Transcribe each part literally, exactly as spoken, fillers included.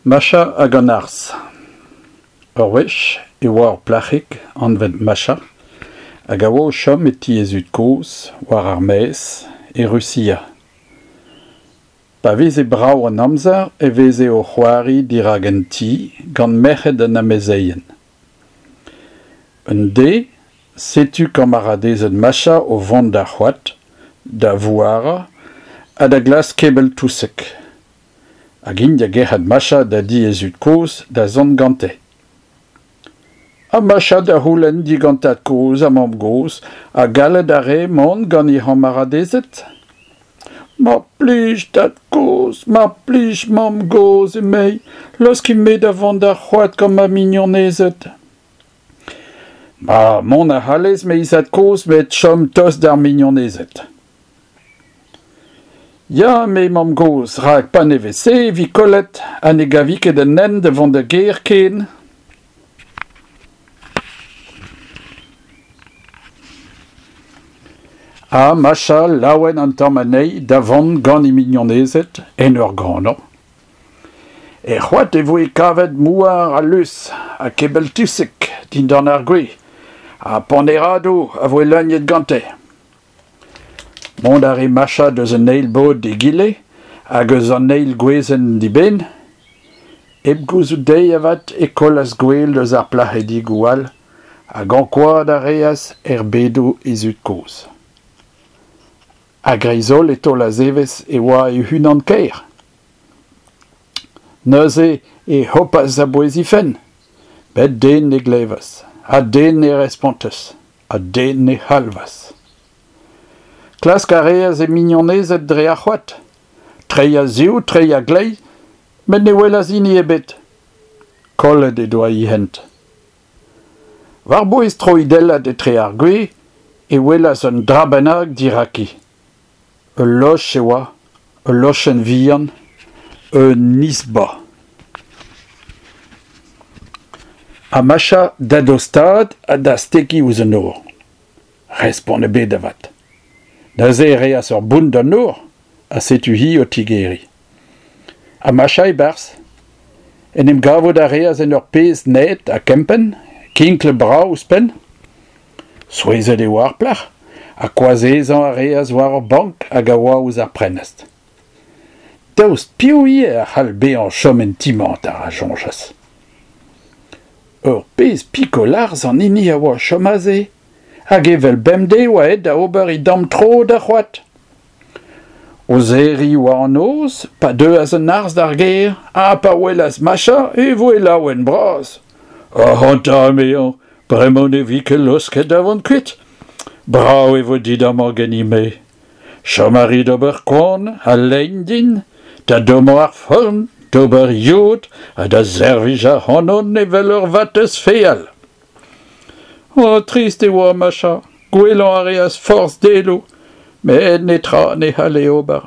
Macha hag an arzh. Ur wech e oa ur plac'hig anvet Macha hag a oa o chom e ti he zud-kozh war ar maez e Rusia. Pa veze brav an amzer e veze o c'hoari dirak an ti gant merc'hed an amezeien. Un deiz, setu kamaradezed Macha o vont d'ar c'hoad, da vouarañ ha da glask kebell-touseg. Hag int da gerc'hat Macha da di he zud-kozh da zont gante. Ha Macha da c'houlenn digant tad-kozh ha mamm-gozh ha gallet a rae mont gant he c'hamaradezed. Mar plij tad-kozh, mar plij mamm-gozh emezi, laoskit-me da vont d'ar c'hoad gant ma mignonezed. Ma, mont a c'hallez eme he zad-kozh met chom tost d'ar mignonezed. Ya, eme mamm-gozh, rak pa ne vez-se e vi kollet ha ne gavi ket an hent da vont da gêr ken. Ha Macha laouen an tamm anezhi da vont gant he mignonezed en ur ganañ. Er c'hoad e voe kavet mouar ha lus ha kebell-touseg dindan ar gwez ha paneradoù a voe leuniet gante. Mont a rae Macha eus an eil bod d'egile hag eus an eil gwezenn d'eben. Hep gouzout dezhi avat e kollas gwel eus ar plac'hedigoù all hag ankouaat a reas erbedoù he zud-kozh. A-greiz-holl e taolas evezh e oa e-unan-kaer. Neuze e hopas a-bouez he fenn, met den ne glevas, ha den ne respontas, ha den ne c'halvas. Klask a reas he mignonezed dre ar c'hoad, treiñ a-zehoù, treiñ a-gleiz, met ne welas hini ebet. Kollet he doa he hent. War-bouez troidellat etre ar gwez e welas un dra bennak diraki. Ul loch e oa, ul lochenn vihan, un izba. Ha Macha da dostaat ha da stekiñ ouzh an nor. Respont ebet avat. Neuze e reas ur bount d'an nor, ha setu hi o tigeriñ. Ha Macha e-barzh. En em gavout a reas en ur pezh naet ha kempenn, kinklet brav ouzhpenn. Souezhet e oa ar plac'h, ha koazezañ a reas war ur bank hag a oa ouzh ar prenestr. Daoust piv ivez a c'hall bezañ chom en ti-mañ, a soñjas. Ur pezh pikol arzh an hini a oa o chom aze, hag evel bemdez e oa aet da ober e damm tro d'ar c'hoad. O serriñ oa an noz, pa deuas an arzh d'ar gêr, ha pa welas Macha e voe laouen bras. Ac'hanta, emezañ, bremañ ne vi ket laosket da vont kuit. Brav e vo dit amañ ganin-me. Chom a ri d'ober koan ha lein din, da dommañ ar forn, d'ober yod ha da servij ac'hanon evel ur vatezh feal. Oh, trist e oa Macha, gouelañ a reas forzh deloù, met netra ne c'halle ober.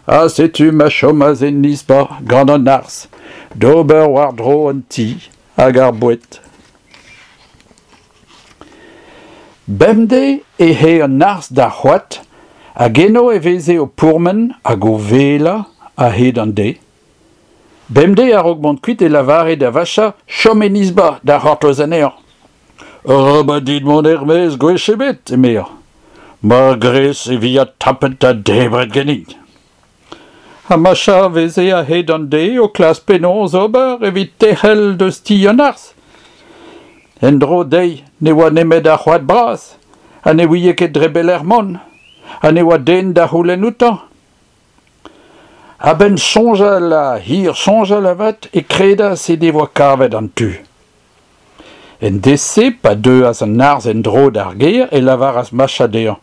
Ha setu ma chomas en izba gant an arzh, d'ober war-dro an ti hag ar boued. Bemdez e ae an arzh d'ar c'hoad hag eno e veze o pourmen hag o velañ a-hed an deiz. Bemdez a-raok mont kuit e lavare da Vacha chom en izba da c'hortoz anezhañ. Arabat dit mont er-maez gwech ebet, emezañ. Mar grez e vi adtapet ha debret ganin. Ha Macha a veze a-hed an deiz o klask penaos ober evit tec'hel deus ti an arzh. En-dro dezhi ne oa nemet ar c'hoad bras, ha ne ouie ket dre belec'h mont, ha ne oa den da c'houlenn outañ. A-benn soñjal ha hir soñjal avat e kredas he devoa kavet an tu. En deiz-se, pa deuas an arzh en-dro d'ar gêr e lavaras Macha dezhañ.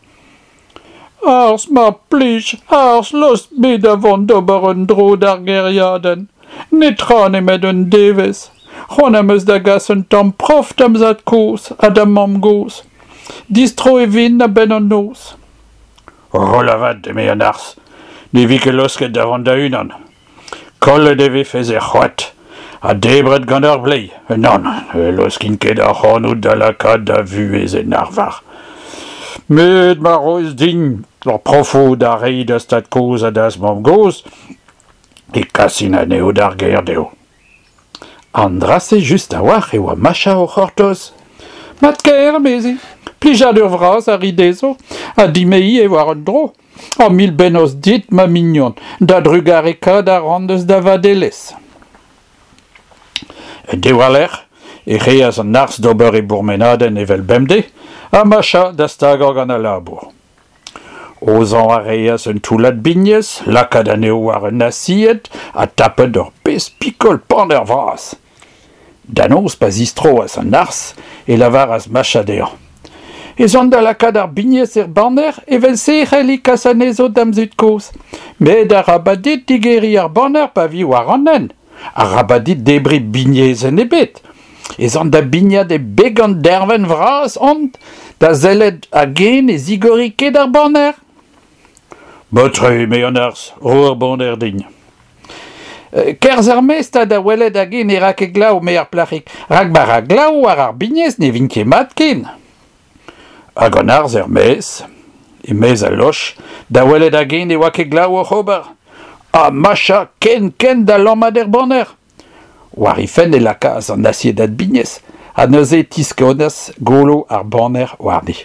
Arzh, mar plij, arzh, laosk-me da vont d'ober un dro d'ar gêriadenn. Netra nemet un devezh. C'hoant am eus da gas un tamm prof da'm zad-kozh ha da'm mamm-gozh. Distro e vin a-benn an noz. Roll avat, eme an arzh, ne vi ket laosket da vont da-unan. Kollet e vefes er c'hoad ha debret gant ar bleiz. Nann, ne laoskin ket ac'hanout da lakaat da vuhez en arvar. Met ma roez din ur profoù da reiñ da'z tad-kozh ha da'z mamm-gozh, e kasin anezho d'ar gêr dezho. An dra-se just a-walc'h e oa Macha o c'hortoz. Mat-kaer, emezi, plijadur vras a ri dezho, ha din-me ivez war un dro. Ha mil bennozh dit, ma mignon, da drugarekaat a ran eus da vadelezh. En deiz war-lerc'h e reas an arzh d'ober e bourmenadenn evel bemdez, ha Macha da stagañ gant al labour. Aozañ a reas un toullad bignez, lakaat anezho war un asied ha tapet ur pezh pikol paner vras. Da noz pa zistroas an arzh e lavaras Macha dezhañ. Ez an da lakaat ar bignez er baner evel-se e c'helli kas anezho da'm zud-kozh. Met arabat dit digeriñ ar baner pa vi war an hent. Arabat dit debriñ bignezenn ebet. Ez an da bignat e beg an dervenn vras-hont da sellet hag-eñ ne zigori ket ar baner. Mat-tre, eme an arzh, ro ar baner din. Kerzh er-maez 'ta da welet hag-eñ ne ra ket glav, eme ar plac'hig, rak ma ra glav war ar bignez ne vint ket mat ken. Hag an arzh er-maez, e-maez al loch, da welet hag-eñ ne oa ket glav oc'h ober. Ha Macha ken-ken da lammat er baner. War he fenn e lakaas an asiedad bignez, ha neuze e tiskonas golo ar baner warni.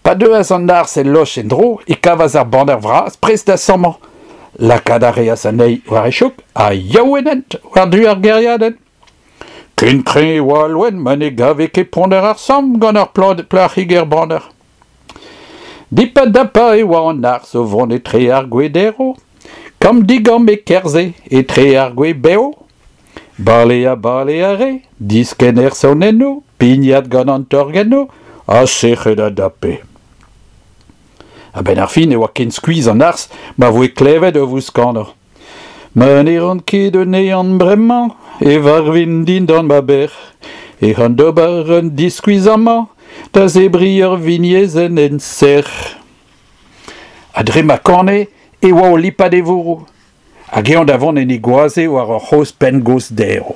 Pa deuas an arzh el loch en-dro e kavas ar baner vras prest da sammañ. Lakaat a reas anezhi war e chouk ha yaou en hent war-du ar gêriadenn. Ken kreñv e oa al loen ma ne gave ket ponner ar samm gant ar plac'hig er baner. Dip-ha-dap e oa an arzh o vont etre ar gwez derv. Kamm-digamm e kerzhe etre ar gwez bev. Bale ha bale a rae, diskenn er saonennoù, pignat gant an torgennoù, ha sec'hed a dape. A-benn ar fin e oa ken skuizh an arzh ma voe klevet o vouskanañ. Ma ne ran ket un ehan bremañ e varvin dindan ma bec'h. Ec'h an d'ober un diskuizh amañ da zebriñ ur vignezenn en sec'h. Ha dre ma kane e oa o lipat e vourroù. Hag eñ da vont en e goaze war ur c'hozh penngoz derv.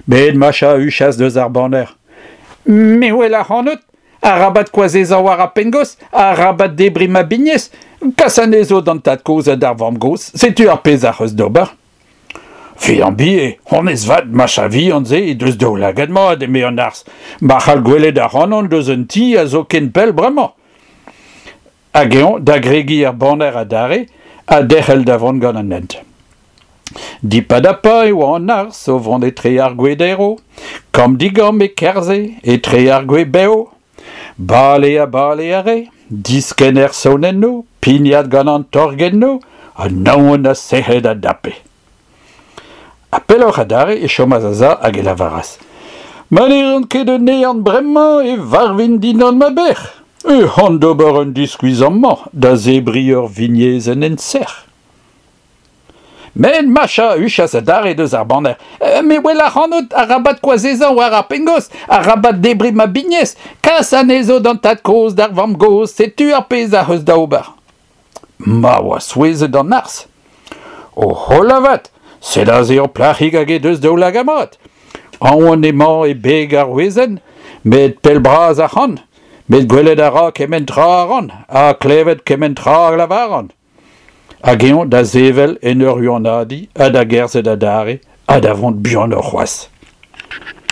Met Macha a huchas deus ar baner. Me 'wel ac'hanout, arabat koazezañ war ar penngoz, arabat debriñ ma bignez, kas anezho d'an tad-kozh ha d'ar vamm-gozh, setu ar pezh ac'h eus d'ober. Fiambi, honnezh 'vat Macha vihan-se he deus daoulagad mat, eme an arzh, ma c'hall gwelet ac'hanon deus un ti a zo ken pell bremañ. Hag eñ da gregiñ er baner adarre ha derc'hel da vont gant an hent. Dip-ha-dap e oa an arzh o vont etre ar gwez derv, kamm-digamm e kerzhe etre ar gwez bev. Bale ha bale a rae, diskenn er saonennoù, pignat gant an torgennoù, ha naon ha sec'hed a dape. Ha pelloc'h adarre e chomas a-sav hag e lavaras. Ma ne ran ket un ehan bremañ e varvin dindan ma bec'h. Ec'h an d'ober un diskuizh amañ da zebriñ ur vignezenn en sec'h. Met Macha a huchas adarre deus ar baner. Me 'wel ac'hanout, arabat koazezañ war ar penngoz, arabat debriñ ma bignez, kas anezho d'an tad-kozh, d'ar vamm-gozh, setu ar pezh ac'h eus da ober. Ma oa souezhet an arzh. O holl avat, sed aze ur plac'hig hag he deus daoulagad mat. Aon emañ e beg ar wezenn, met pell-bras ac'hann, met gwelet a ra kement tra a ran, ha klevet kement tra a lavaran. Hag eñ da sevel en ur huanadiñ ha da gerzhet adarre ha da vont buanoc'h c'hoazh.